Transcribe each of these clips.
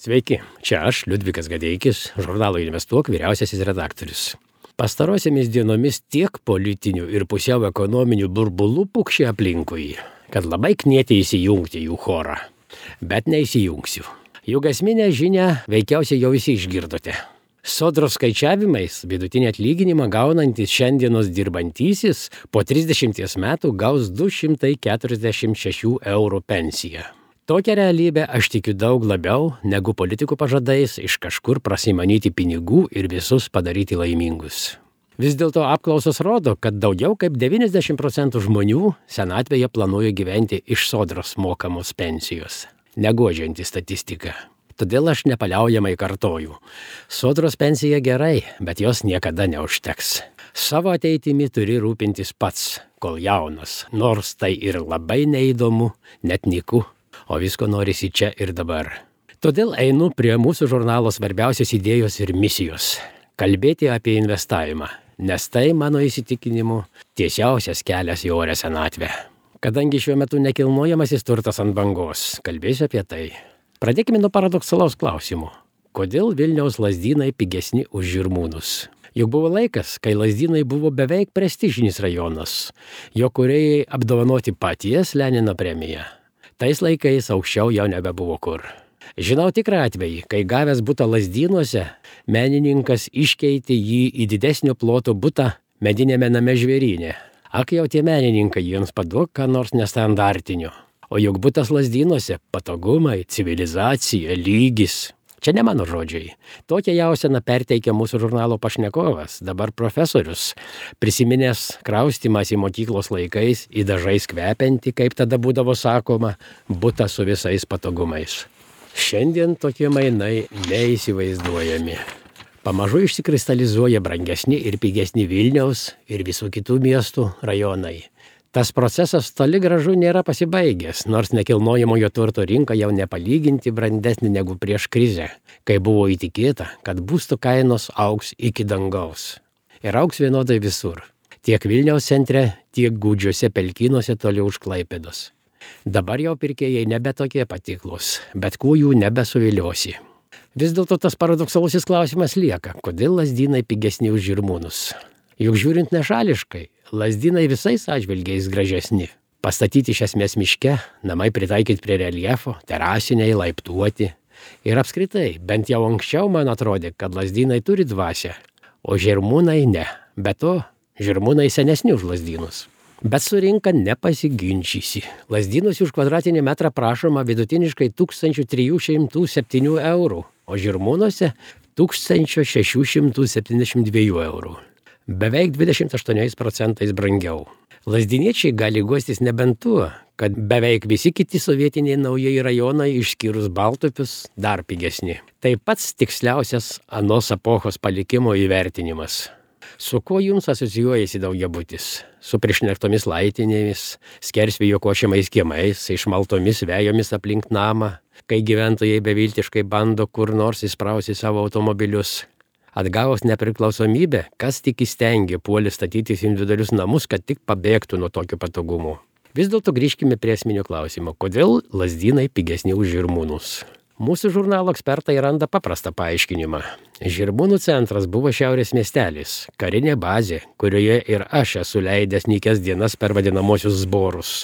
Sveiki, čia aš, Liudvikas Gadeikis, žurnalo Investuok vyriausiasis redaktorius. Pastarosiamis dienomis tiek politinių ir pusiau ekonominių burbulų pukšė aplinkui, kad labai knieti įsijungti jų chorą. Bet neįsijungsiu. Juk esminę žinią veikiausiai jau visi išgirdote. Sodros skaičiavimais vidutinį atlyginimą gaunantis šiandienos dirbantysis po 30 metų gaus 246 eurų pensiją. Tokią realybę aš tikiu daug labiau negu politikų pažadais iš kažkur prasimanyti pinigų ir visus padaryti laimingus. Vis dėlto apklausos rodo, kad daugiau kaip 90% žmonių senatvėje planuoja gyventi iš sodros mokamos pensijos. Neguodžianti statistika. Todėl aš nepaliaujamai kartoju. Sodros pensija gerai, bet jos niekada neužteks. Savo ateitimi turi rūpintis pats, kol jaunas, nors tai ir labai neįdomu, net nyku. O visko norisi čia ir dabar. Todėl einu prie mūsų žurnalo svarbiausios idėjos ir misijos – kalbėti apie investavimą, nes tai, mano įsitikinimu, tiesiausias kelias į orią senatvę. Kadangi šiuo metu nekilnojamasis turtas ant bangos, kalbėsiu apie tai. Pradėkime nuo paradoksalaus klausimo. Kodėl Vilniaus Lazdynai pigesni už Žirmūnus? Juk buvo laikas, kai Lazdynai buvo beveik prestižinis rajonas. Jo kūrėjai apdovanoti paties Lenino premiją. Tais laikais aukščiau jau nebebuvo kur. Žinau tikrą atvejį, kai gavęs butą Lazdynuose, menininkas iškeitė jį į didesnio ploto butą medinėme name Žvėryne. Ak jau tie menininkai jiems paduok ką nors nestandartinio. O juk butas Lazdynuose – patogumai, civilizacija, lygis. Čia ne mano žodžiai. Tokią jauseną perteikia mūsų žurnalo pašnekovas, dabar profesorius, prisiminęs kraustymas į mokyklos laikais į dažais kvepiantį, kaip tada būdavo sakoma, butą su visais patogumais. Šiandien tokie mainai neįsivaizduojami. Pamažu išsikristalizuoja brangesni ir pigesni Vilniaus ir visų kitų miestų rajonai. Tas procesas toli gražu nėra pasibaigęs, nors nekilnojamojo turto rinka jau nepalyginti brandesnė negu prieš krizę, kai buvo įtikėta, kad būstų kainos augs iki dangaus. Ir augs vienodai visur, tiek Vilniaus centre, tiek gūdžiuose pelkynuose toli už Klaipėdos. Dabar jau pirkėjai nebe tokie patiklus, bet kuo jų nebesuviliosi. Vis dėlto tas paradoksalusis klausimas lieka, kodėl Lazdynai pigesni už Žirmūnus? Juk žiūrint nešališkai, Lazdynai visais atžvilgiais gražesni. Pastatyti iš esmės miške, namai pritaikyti prie reljefo, terasiniai, laiptuoti. Ir apskritai, bent jau anksčiau man atrodė, kad Lazdynai turi dvasią, o Žirmūnai ne. Be to, Žirmūnai senesni už Lazdynus. Bet su rinka nepasiginčysi. Lazdynuose už kvadratinį metrą prašoma vidutiniškai 1307 eurų, o Žirmūnuose 1672 eurų. Beveik 28% brangiau. Lazdyniečiai gali guostis nebent tuo, kad beveik visi kiti sovietiniai naujieji rajonai išskyrus Baltupius dar pigesni. Tai pats tiksliausias anos epochos palikimo įvertinimas. Su kuo jums asocijuojasi daugiabutis? Su prišnektomis laitinėmis, skersvėjo košiamais kiemais, išmaltomis vejomis aplink namą, kai gyventojai beviltiškai bando kur nors įsprausti savo automobilius. Atgavus nepriklausomybę, kas tik įstengė puolė statytis individualius namus, kad tik pabėgtų nuo tokių patogumų. Vis dėlto grįžkime prie esminio klausimo, kodėl Lazdynai pigesni už Žirmūnus. Mūsų žurnalo ekspertai randa paprastą paaiškinimą. Žirmūnų centras buvo šiaurės miestelis, karinė bazė, kurioje ir aš esu leidęs nykias dienas per vadinamosius zborus.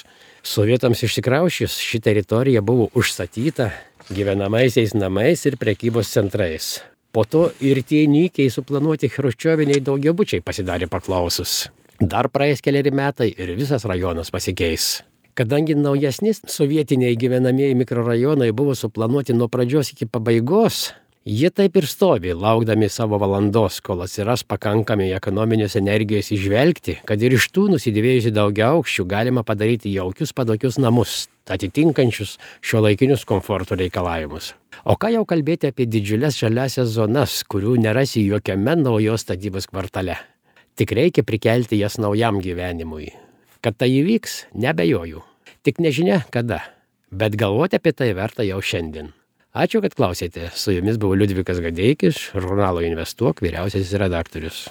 Sovietams išsikraušius, ši teritorija buvo užstatyta gyvenamaisiais namais ir prekybos centrais. Po to ir tie nykiai suplanuoti chruščioviniai daugiabučiai pasidarė paklausus. Dar praeis keliari metai ir visas rajonas pasikeis. Kadangi naujesni sovietiniai gyvenamieji mikrorajonai buvo suplanuoti nuo pradžios iki pabaigos, jie taip ir stovi, laukdami savo valandos, kol atsiras pakankamai ekonominės energijos įžvelgti, kad ir iš tų nusidėvėjusių daugiaaukščių galima padaryti jaukius patogius namus, atitinkančius šiuolaikinius komforto reikalavimus. O ką jau kalbėti apie didžiules žaliasias zonas, kurių nerasi jokiame naujos statybos kvartale. Tik reikia prikelti jas naujam gyvenimui. Kad tai įvyks, neabejoju. Tik nežinia kada, bet galvoti apie tai verta jau šiandien. Ačiū, kad klausėte. Su jumis buvo Liudvikas Gadeikis, žurnalo Investuok vyriausiasis redaktorius.